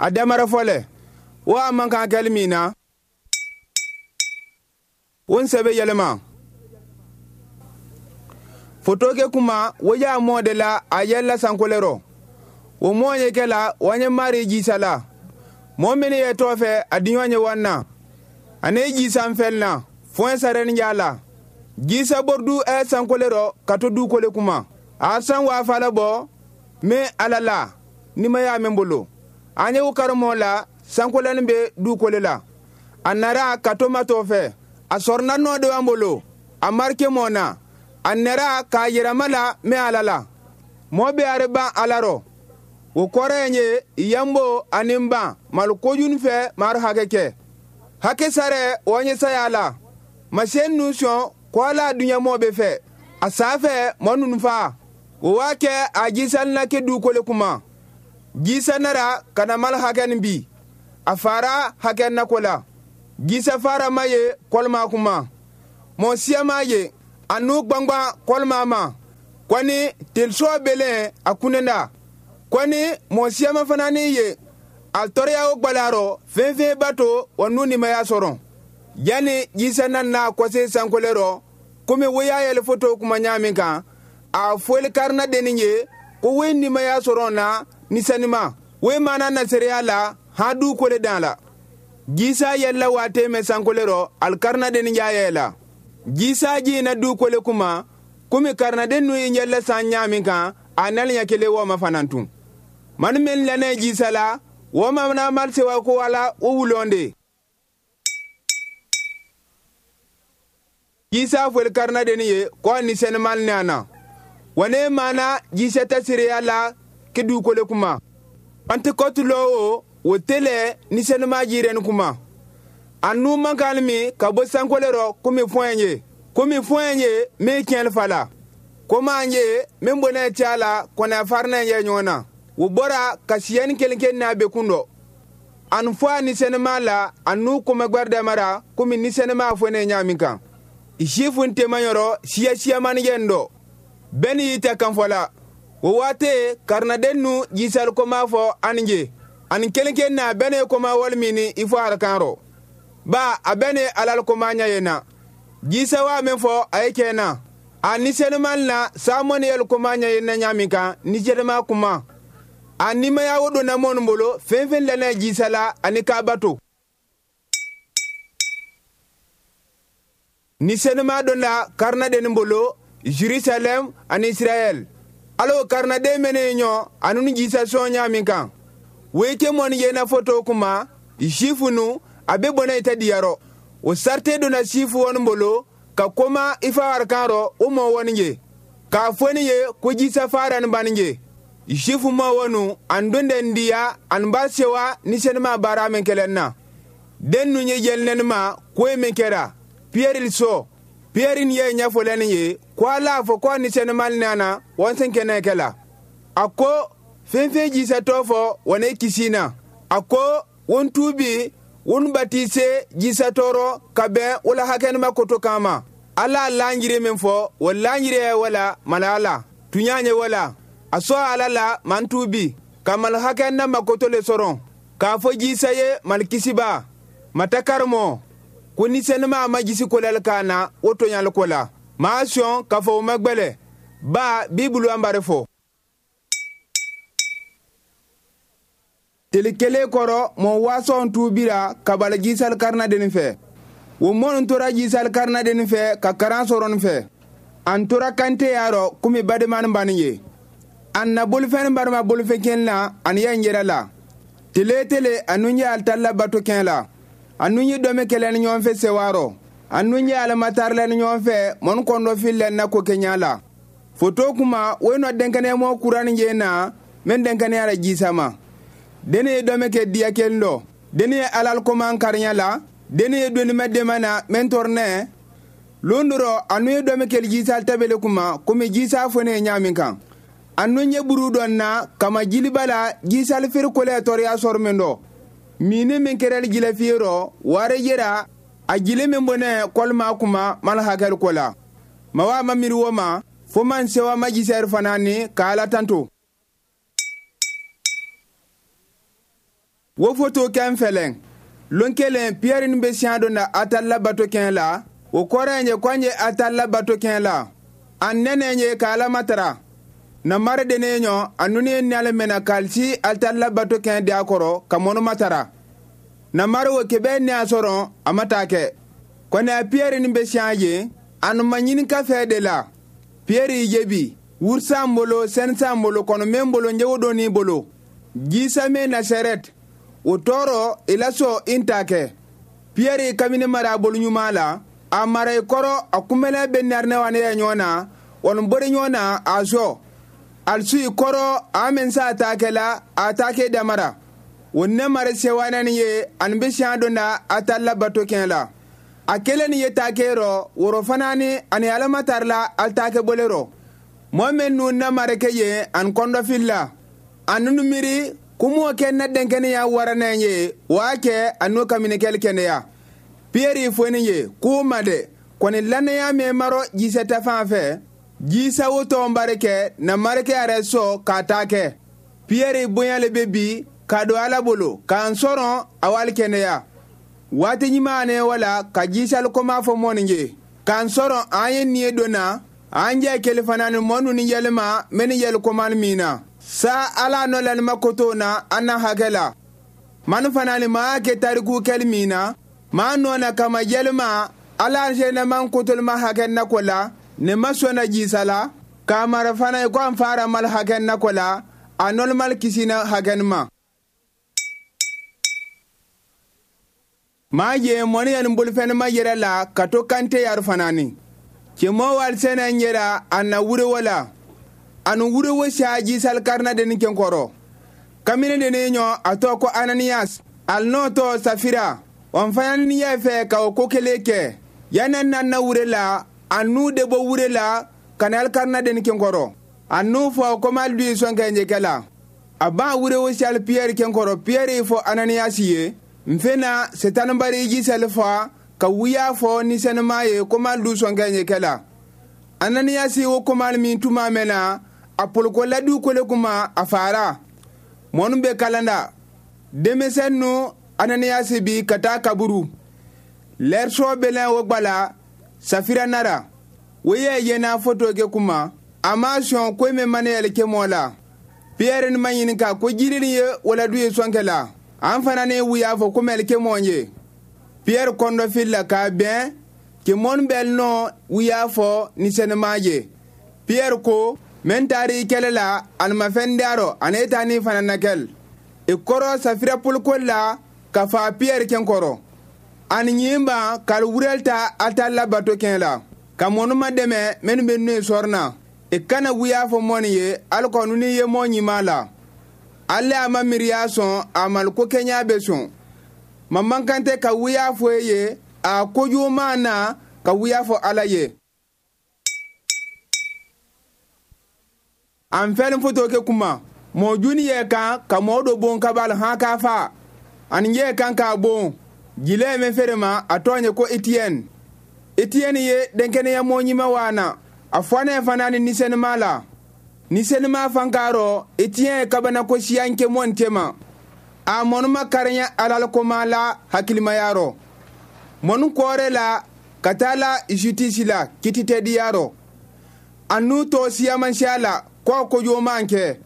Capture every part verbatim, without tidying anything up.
A damara fɔlɛ wo a man kan kɛli min na wo n sɛbɛ yɛlɛma foto ke kuma wo y'a mɔ de la a yɛlɛla sankole rɔ wo mɔ ye kɛ la wa ye mari jisa la mɔɔ minnu ye tɔ fɛ a diɲɔ ye wan na ani jisa fɛn na fɔn sarɛni y'a la jisa bordu ɛ sankole rɔ ka to dukole kuma a san waa fala bɔ min ala la nimaya min bolo an ye o karamɔ la sankolɛni bɛ dukole la a nara ka to matɔ fɛ a sɔrɔna nɔ de b'an bolo a marike mɔ na a nɛra k'a yɛrɛma la min ala la mɔɔ bɛ are ban ala rɔ o kɔrɔ ye yanbo ani ban malo kojun fɛ maro hakɛ kɛ hakɛ sarɛ o ɲɛ saya la masiyɛn nu sɔn ko ala duɲamɔ bɛ fɛ a saa fɛ mɔ nunu fa o waa kɛ a jisanna kɛ dukole kuma jisa nara ka na malo hakɛ nin bi a fara hakɛ nako la jisa fara ma ye kɔlima kuma mɔ siya ma ye a nu gbangban kɔlima ma kɔni telisɔ belen a kunenda kɔni mɔ siyama fana ni ye a tɔɔrɔya o gbalarɔ fɛn fɛn b'a to wa nu nimaya sɔrɔ yanni jisa nana kɔse sankole rɔ komi wo y'a yɛlɛ foto kuma ɲa min kan a fɔli karina denni ye ko wo nimaya sɔrɔ na nisanima wo mana naseriya la han du kole dan la jisa yɛlɛla waati mɛn sankole rɔ alikarina denni y'a yɛlɛ jisa jina du kole kuma komi karinaden nu ye yɛlɛ san ɲa min kan a nali ɲɛ kelen wo ma fana tun mani min lɛnɛ jisa la wo ma na mali sewa ko wala o wulon de jisa fɔli karinaden ye ko ni sɛnɛmali nana wa ne mana jisa tɛ seereya la ke dukole kuma pantekɔti lɔ o o tele ni sɛnɛma jirɛni kuma a nu man kan min ka bɔ sankole rɔ komi fɔɲɛ ye komi fɔɲɛ ye min tiɲɛli fa la komi an ye min bɔnɛ cɛ la kɔnɛ farinɛ ye ɲɔgɔn na o bɔra ka siyɛni kelen kelen n'a bɛ kun dɔ ani fɔ a ni sɛnɛma la a nu kɔmɛgbɛri dɛmɛra komi ni sɛnɛma fɔ ne ɲa min kan sifu tema yɔrɔ siya siyamani yɛn dɔ bɛɛ ni y'i tɛ kan fɔ la o waati karinaden nu jisali koma fɔ ani je ani kelen kelen na bɛɛ ne koma wali min ni i fɔ arakan rɔ ba a bɛɛ ne alal koma ɲɛ yen na jisa waa min fɔ a ye kɛ na a ni sɛnɛma na samɔni yɛlɛ koma ɲɛ yen na ɲa min kan ni sɛnɛma kuma a nimaya o donna mɔnu bolo fɛn fɛn lɛnɛ jisa la ani k'a bato ni sɛnɛma donna karinaden bolo Jerusalem ani Israel alo karinaden mene ɲɔ anu ni jisa sɔn ɲa min kan weke mɔni yena foto kuma sifu nu a be bɔnɛ ita diyarɔ o sarte donna sifu wɔni bolo ka koma i fa warikan rɔ o mɔ wɔni ye k'a fɔ ni ye ko jisa farani bani ye sifu mɔ wɔnu an donden diya an ba sewa ni sɛnɛma baara min kɛlɛn na den nu ye yɛlɛnɛni ma ko ye min kɛra piyɛri sɔ piyɛri ni ye ɲɛfɔlɛni ye ko ala fɔ ko ni sɛnɛmali nana wɔnsen kɛnɛ kɛ la a ko fɛn fɛn jisatɔ fɔ wɔne kisi na a ko won tubi won batise jisatɔrɔ ka bɛn wala hakɛnima koto kama ala lanjiri min fɔ o lanjiri ye wala mala ala tuɲa ye wala a sɔ ala la man tubi ka mal hakɛnna makoto le sɔrɔ k'a fɔ jisa ye malikisiba matakarimo ko ni sɛnɛma ma jisi kolɛli kan na o tɔɲali ko la maa sɔn k'a fɔ o ma gbɛlɛ ba bibulu an bari fɔ tele kelen kɔrɔ mɔ waasɔn tuubira ka bala jisali karinadenni fɛ o mɔnu tora jisali karinadenni fɛ ka karan sɔrɔni fɛ an tora kante y'a rɔ komi bademani bani ye an na bolifɛn barima bolifɛn kɛn na ani yɛn yɛrɛ la tele tele anu ye alitala bato kɛn la anu ye dɔmɛ kɛlɛ ni ɲɔgɔn fɛ sewaarɔ anu ye alamatarila ni ɲɔgɔn fɛ mɔnu kɔndɔ filɛ na ko kɛɲa la foto kuma o ye nɔ denkɛnɛmɔ kurani ye na min denkɛnɛya la jisama deni ye dɔmɛ kɛ diya kelen dɔ deni ye alal koman kariɲa la deni ye donimɛ dɛmɛ na mɛn tɔrɔnɛ lon dɔrɔ anu ye dɔmɛ kɛli jisal tabele kuma komi jisa fɔ ne ye ɲa min kan anu ye buru dɔ na kama jiliba la jisal feere kolɛ tɔɔrɔya sɔrɔ min dɔ mini min kɛrɛli jilɛ fiye rɔ wari yera a jili min bɔnɛ kɔlima kuma mal hakɛli ko la mawa ma miiri wo ma fo man sewa ma jisɛri fana ni k'a ala tanto. Wo foto kɛn fɛlɛn. Lon kelen Piyɛri ni be siɲa don na atal la bato kɛn la, o kɔrɔ ye ko an ye atal la bato kɛn la. An nɛnɛ ye ka Ala matara. Na mare dene ɲɔ a nunu ye nale mɛna kalisi atal la bato kɛn di a kɔrɔ ka mɔnu matara. Na mare wo kebe ne a sɔrɔ a ma taa kɛ. Kɔni a Piyɛri ni be siɲa ye, a nu ma ɲini ka fɛ de la. Piyɛri jebi, wursan bolo, sɛnsan bolo, kɔnɔ men bolo, njewo doni bolo. Jisa me Nasarɛti, o tɔɔrɔ i la sɔn i ta kɛ. Piyɛri kamini mara a bolo ɲuman la, a mara i kɔrɔ a kunbɛlɛ bɛ narinɛ ne ye ɲɔgɔn na, wɔni bori ɲɔgɔn na a sɔ. Alisu i kɔrɔ a min sa ta kɛ la, a ta kɛ damara. O ne mara sewanani ye, ani bɛ siɲɛ don na a ta labato kɛn la. A kelen ni ye ta kɛ rɔ, woro fana ni ani alamatari la al ta kɛ bole rɔ. Mɔɔ min nu na mara kɛ ye ani kɔndɔfili la. A nunu miiri kumo kɛ na denkɛnɛya waranɛ ye, o y'a kɛ a n'o kaminikɛli kɛnɛya. Piyɛri foni ye k'o ma dɛ, kɔni lannaya min marɔ jisɛ ta fan fɛ, jisa wo tɔn bari kɛ na marikɛ yɛrɛ sɔ k'a ta kɛ. Piyɛri bonya le bɛ bi k'a don Ala bolo k'an sɔrɔ a wali kɛnɛya. Waati ɲuman ne wala ka jisali koma fɔ mɔni ye, k'an sɔrɔ an ye nin ye don na, an jɛ kele fana ni mɔnu ni yɛlɛma mɛ ni yɛlɛ koman min na. Sa Ala nɔ lanima koto na an na hakɛ la. Manu fana ni maa kɛ tariku kɛli min na, maa nɔ na kama yɛlɛma Ala sɛnɛman kotolima hakɛ na ko la, ne ma sɔnna jisa la, k'a mara fana i ko an fara mal hakɛ na ko la, a nɔlɔmal kisina hakɛ ma. Maa ye mɔni ya ni bolifɛn ma yɛrɛ la ka to kante yari fana ni. Cɛmɔ wali sɛnɛ yɛrɛ a na wurewo la. Anu wurewo siya jisal karna deni kenkɔrɔ. Kamini deni ɲɔ a tɔ ko Ananias, al n'o tɔ Safira. Wan fana ni yɛ fɛ ka o ko kelen kɛ. Yanni nan na wure la, a n'u de bɔ wure la ka na alikarna deni kenkɔrɔ. A n'u fɔ ko ma lu sɔn kɛ ɲɛkɛ la. A b'a wurewo siyali Piyɛri kenkɔrɔ. Piyɛri fɔ Ananias ye, n fena setanibari jisali fɔ ka wuya fɔ ni sɛnɛma ye ko ma lu sɔn kɛ ɲɛkɛ la. Ananias wo komal min tuma mɛna, a poloko ladu kole kuma a fara. Mɔnu bɛ kalanda. Denmisɛn nu Ananias bi ka taa kaburu. Lɛrisɔ bɛlɛn o gbala Safira nara. O ye yena foto kɛ kuma, a ma sɔn ko min mana yɛlɛ kɛ mɔ la. Piyɛri ni ma ɲininka ko jiri ye waladu ye sɔnkɛ la. An fana ne wuya fɔ ko mɛlɛ kɛ mɔ ye. Piyɛri kɔndɔfili la k'a bɛn ke mɔnu bɛl nɔ wuya fɔ ni sɛnɛma ye. Piyɛri ko mɛn taari kɛlɛ la ani ma fɛn diyarɔ ani e taa ni fana na kɛl. I kɔrɔ Safira poliko la ka fa Piyɛri kɛn kɔrɔ. Ani ɲinba k'al wurɛl ta a ta labato kɛn la. Ka mɔnu ma dɛmɛ mɛnu bɛ nu sɔrɔ na. I kana wuya fɔ mɔni ye alikɔ nunu ye mɔ ɲuman la. Ale a ma miiriya sɔn a maliko kɛɲa bɛ sɔn. Ma man kan tɛ ka wuya fɔ e ye a kojugu ma na ka wuya fɔ Ala ye. An fɛn foto kɛ kuma mɔ juni yɛ kan ka mɔɔ dɔ bon kabal han k'a fa. Ani yɛ kan k'a bon. Jilɛ min feere ma a tɔgɔ ye ko Etienne. Etienne ye denkɛnɛya mɔ ɲuman wa na. A fɔnɛ fana ni nisɛnima la. Nisɛnima fan k'a rɔ Etienne kabana ko siyan kɛ mɔn tema. A mɔnuma karinya alal koma la hakilimaya rɔ. Mɔnu kɔɔrɛ la ka taa la justice la kititɛdiya rɔ. A n'u tɔ siyamansiya la k'o kojugu kɛ.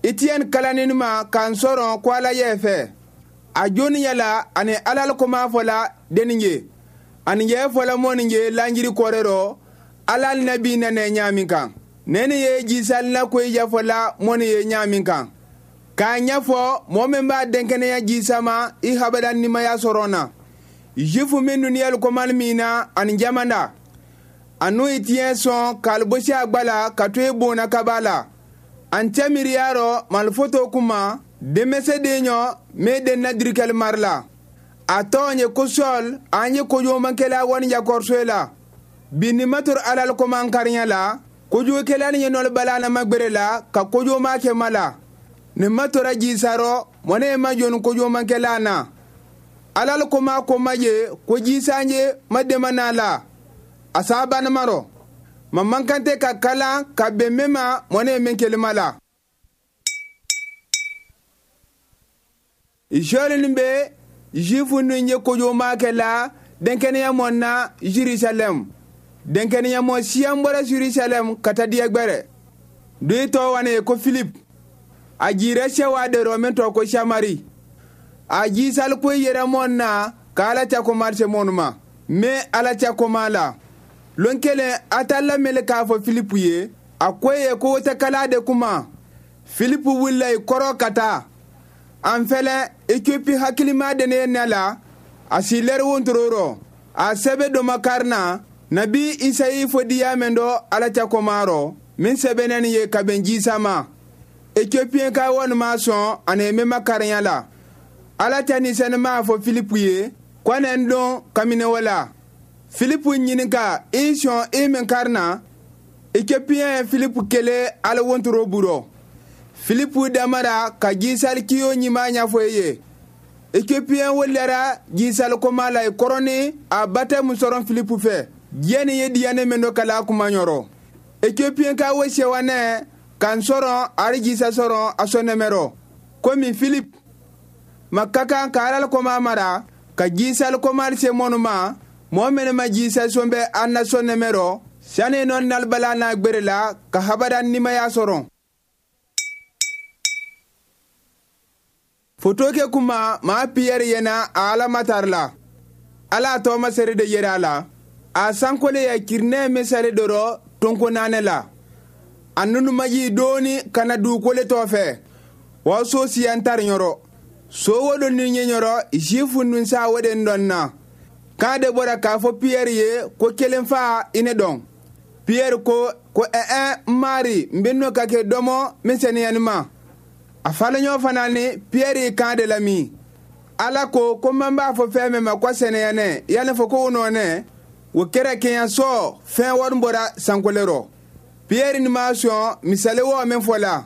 Etienne kalanni ma k'an sɔrɔ ko Ala yɛ fɛ. A joni yala ani alal koma fɔla denni ye. Ani yɛ fɔla mɔni ye lanjiri kɔrɛ rɔ Ala nabi nana ɲaamin kan. Nɛni ye jisali la ko yafɔla mɔni ye ɲaamin kan. K'a ɲɛfɔ mɔɔ min b'a denkɛnɛya jisama i habada nimaya sɔrɔ na. Jufu minnu ni yɛlɛ min na ani jamana. A n'u ye tiɲɛ sɔn k'alibosi a gba la ka to e bonna kaba la. An cɛ miiriya rɔ malifoto kuma denmisɛn den ɲɔ min den na dirikɛli mari la. A tɔgɔ ye ko Sɔl an ye kojugumakɛla wani jakɔrɔso la. Bi ni ma tora alal koman karinya la, kojugukɛla ni ye nɔlɔ bala na magbere la ka kojuguma kɛ ma la. Ni ma tora jisarɔ mɔne ma jɔni kojugumakɛla na. Alal koma koma ye ko jisanje ma dema na la. A sabanimaro. Ma man kan tɛ ka kalan ka bɛn min ma mɔne min kelima la. Jɔlin be Juifu nu ye kojo kɛ la denkɛnɛya mɔ na Jerusalem. Denkɛnɛya mɔ siyan bɔra Jerusalem ka taa diɲɛ gbɛrɛ. Duyi tɔ wane ko Philip. A jira sewa de rɔ min tɔ ko Samari. A jisal ko yɛrɛ mɔ na ka Ala ta ko marse mɔnu ma. Me Ala ta ko ma la. Lon kelen a ta lamɛnni k'a fɔ Philip ye, a ko ye ko tɛ kala de kuma. Philip wulila i kɔrɔ ka taa. An fɛlɛ Ethiopie hakilima de ne ne la, a si lɛri wontoro rɔ. A sɛbɛ dɔ ma kari na, nabi Isayi fɔ diya mɛn dɔ Ala ta koma rɔ, min sɛbɛnnen ye ka bɛn jisa ma. Ethiopien ka wɔni ma sɔn ani min ma karinya la. Ala ta ni sɛnɛ m'a fɔ Philip ye, ko ne n dɔn kamine wala. Philip ɲininka i sɔn i min kari na. Ethiopien ye Philip kele ala wontoro burɔ. Philip damara ka jisali kiyo ɲuman ɲɛfɔ i ye. Ethiopien wolera jisali koma la i kɔrɔni a batɛmu sɔrɔ Philip fɛ. Diɲɛ ni ye diyanɛ min dɔ kala kuma ɲɔrɔ. Ethiopien ka wo sewanɛ kan sɔrɔ ari jisa sɔrɔ a sɔnɛmɛrɔ. Komi Philip ma ka kan ka alal koma mara ka jisali koma se mɔnu ma, mɔɔ minnu ma jisa sɔn bɛ an na sɔnɛmɛrɔ, sani nɔ nalibala n'a gbere la ka habada nimaya sɔrɔ. Foto ke kuma maa Piyɛri yena a Ala matar la. Ala a tɔɔma seri de yera a la. A sankole ya kirinɛ misali dɔrɔ tonko naani la. A nunumaji dooni ka na dugukolo tɔ fɛ. Wa so siyan tari ɲɔrɔ. So wo do ni ɲɛ ɲɔrɔ Zifu nun sa wo de dɔn na. K'a de bɔra k'a fɔ Piyɛri ye ko kelen fa i ne dɔn. Piyɛri ko ko ɛɛ n mari n bɛ n'o ka kɛ dɔmɔ min sɛnɛyani ma. A falen fana ni Piyɛri kan de la min. Ala ko ko man b'a fɔ fɛn min ma ko sɛnɛyanɛ yanni fɔ ko o nɔnɛ o kɛra kɛɲɛsɔ fɛn wari bɔra sankolo rɔ. Piyɛri ni ma sɔn misali wɔ min fɔ la.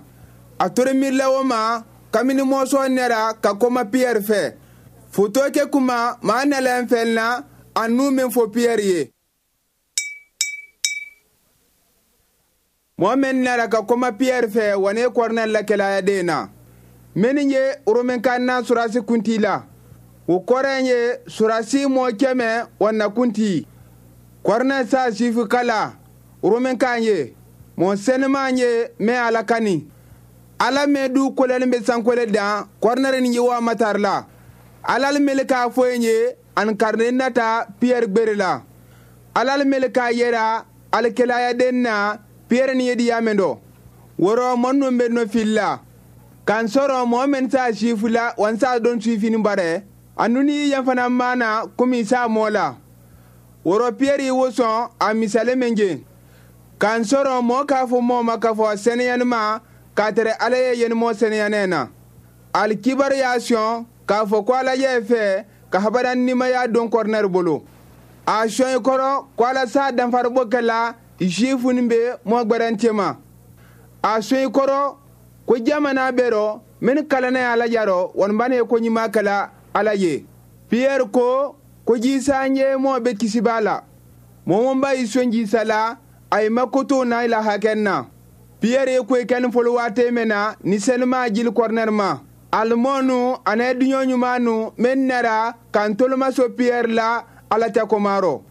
A tora miirila o ma kabini mɔsɔn nɛra ka kɔma Piyɛri fɛ. Foto kɛ kuma maa nalen fɛn na a nu min fɔ Piyɛri ye. Mɔɔ min nara ka kɔma Piyɛri fɛ wa ne kɔrɔnɛ lakɛlaya den na. Minnu ye Romenkan na surasi kunti la. O kɔrɔ ye surasi mɔɔ kɛmɛ wa na kunti. Kɔrɔnɛ sa sifu kala Romenkan ye. Mɔɔ sɛnɛman ye mɛ Ala kani. Ala mɛ du kolɛni bɛ sankole dan kɔrɔnɛ ni ye wa matar la. Ala mele k'a fɔ ye ani karinen nata Piyɛri gbere la. Ala mele k'a yera alikɛlaya den na Piyɛri ni ye diya min dɔ. Wɔrɔ mɔɔ ninnu bɛ nɔ fili la. K'an sɔrɔ mɔɔ min t'a sifu la wa n s'a dɔn sifini barɛ. A nuni yan fana mana komi s'a mɔ la. Wɔrɔ Piyɛri wo sɔn a misali min je. K'an sɔrɔ mɔɔ k'a fɔ mɔɔ ma k'a fɔ sɛnɛyani ma k'a tɛrɛ Ala ye yeni mɔɔ sɛnɛyanɛ na. Alikibaru y'a sɔn k'a fɔ ko Ala ye fɛ ka habada nimaya don kɔrɔnɛri bolo. A sɔn i kɔrɔ ko Ala s'a danfaribɔ kɛ la Zifu ni bɛ mɔɔ gbɛrɛn cɛma. A sɔn i kɔrɔ ko jamana bɛɛ rɔ min kalanna ye Ala jarɔ wɔni ye ko ɲuman kɛla Ala ye. Piyɛri ko ko jisa ye mɔɔ bɛ kisi b'a la. Mɔɔ ba y'i sɔn jisa la a ye makoto n'a la hakɛ na. Piyɛri ye ko kɛ ni fɔlɔ waati min na ni sɛnɛma jili kɔrɔnɛri ma. Alimɔnu ani duɲɔ ɲuman nu min nara k'an tolomaso Piyɛri la Ala ta komarɔ.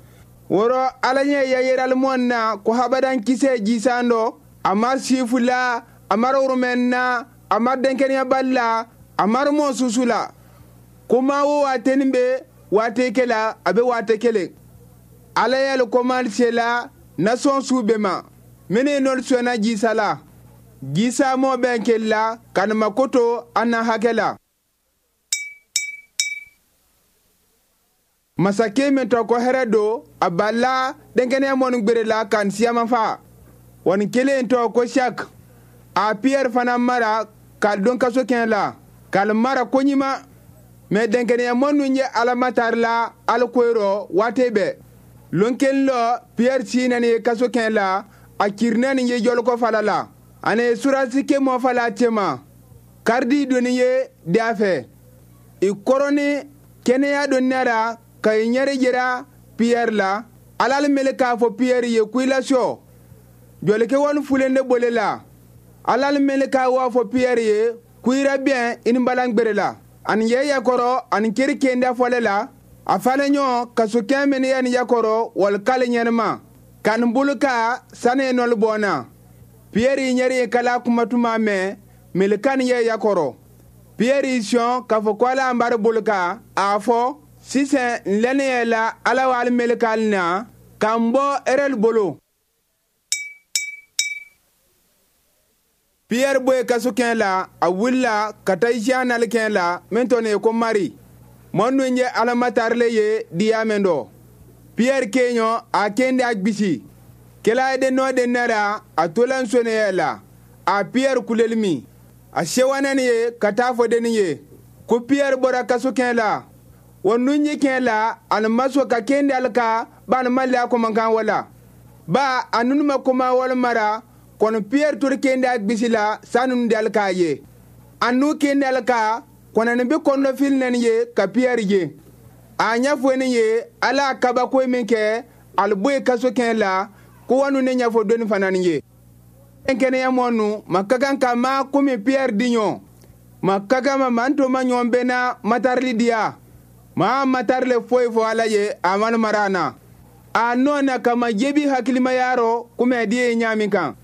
Wɔrɔ Ala ɲɛ yayɛrɛlimɔn na ko habadan kisɛ jisan dɔ a ma sifu la a ma woromɛn na a ma denkɛnɛyabali la a ma mɔ susu la. Ko maa wo waatinin bɛ waati kelen a bɛ waati kelen. Ala y'ale kɔmali se la nasɔn su bɛɛ ma. Minnu nɔri sɔnna jisa la. Jisa mɔ bɛn kelen la ka nin makoto an na hakɛ la. Masakɛ min tɔ ko hɛrɛ don a bala denkɛnɛya mɔni gbere la ka n siyaman fa. Wa nin kelen tɔ ko Shak. A Piyɛri fana mara k'a don kaso kɛnɛ la k'ale mara ko ɲuman. Mɛ denkɛnɛya mɔnu ye Ala matari la ala koyɔrɔ waati bɛɛ. Lon kelen lɔ Piyɛri si nani ye kaso kɛnɛ la a kirinɛ ni ye jɔlikɔ fala la. Ani surasi ke mɔ fala cɛma. Karidi donni ye da fɛ. I kɔrɔni kɛnɛya don nara ka i ɲɛri jira Piyɛri la. Ala mele k'a fɔ Piyɛri ye ko i la sɔ. Jɔlikɛ wani fulen de bole la. Ala mele k'a waa fɔ Piyɛri ye ko i ra bɛn i ni balan gbere la. Ani ye yakɔrɔ ani kiri kenda fɔlɛ la, a fana ɲɔ kasokɛ min ye ni yakɔrɔ wali kale ɲɛnama. Kan bolo ka sani ye nɔli bɔnna. Piyɛri ɲɛri ye kala kumatuma mɛn, melekan ye yakɔrɔ. Piyɛri sɔn k'a fɔ ko ala an bari bolo ka, a fɔ, sisan n lɛnni yɛ la ala wali melekan na, k'an bɔ erɛli bolo. Piyɛri bɔ ye kasokɛ la, a wulila ka taa isiya nalikɛ la min tɔɔ ye ko Mari. Mɔ nun ye alamatarile ye diya min dɔ. Piyɛri keɲɔ a kende a gbisi. Kɛla ye den nɔ den nɛra a tola nsonɛ la. A Piyɛri kuleli min. A sewanɛni ye ka taa fɔ denni ye ko Piyɛri bɔra kasokɛ la. Wa nun ye kɛ la ani maso ka kende alika ba ani mali a kɔmɔkan wala. Ba a nunu ma kɔma wala mara kɔni Piyɛri tori kende a gbisi la sanu de alika ye. A nu kende alika kɔnɔni bi kɔnɔfili nɛni ye ka Piyɛri ye. A ɲɛfɔ ni ye ala kabako min kɛ ali bɔ ye kasokɛ la ko wanu ne ɲɛfɔ doni fana ni ye. Kɛnɛya mɔnu ma ka kan ka ma komi Piyɛri di ɲɔ. Ma ka kan ma man to ma ɲɔgɔn bɛɛ na matarili diya. Maa matarile foyi fɔ ala ye a man mara na. A nɔ na kama jebi hakilimaya rɔ komi a di ye ɲa min kan.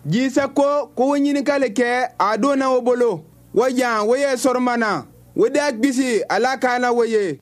Jisa ko ko wo ɲininkali kɛ a donna o bolo. Wo yan wo ye sɔrɔma na. Wo da gbisi ala kana wo ye.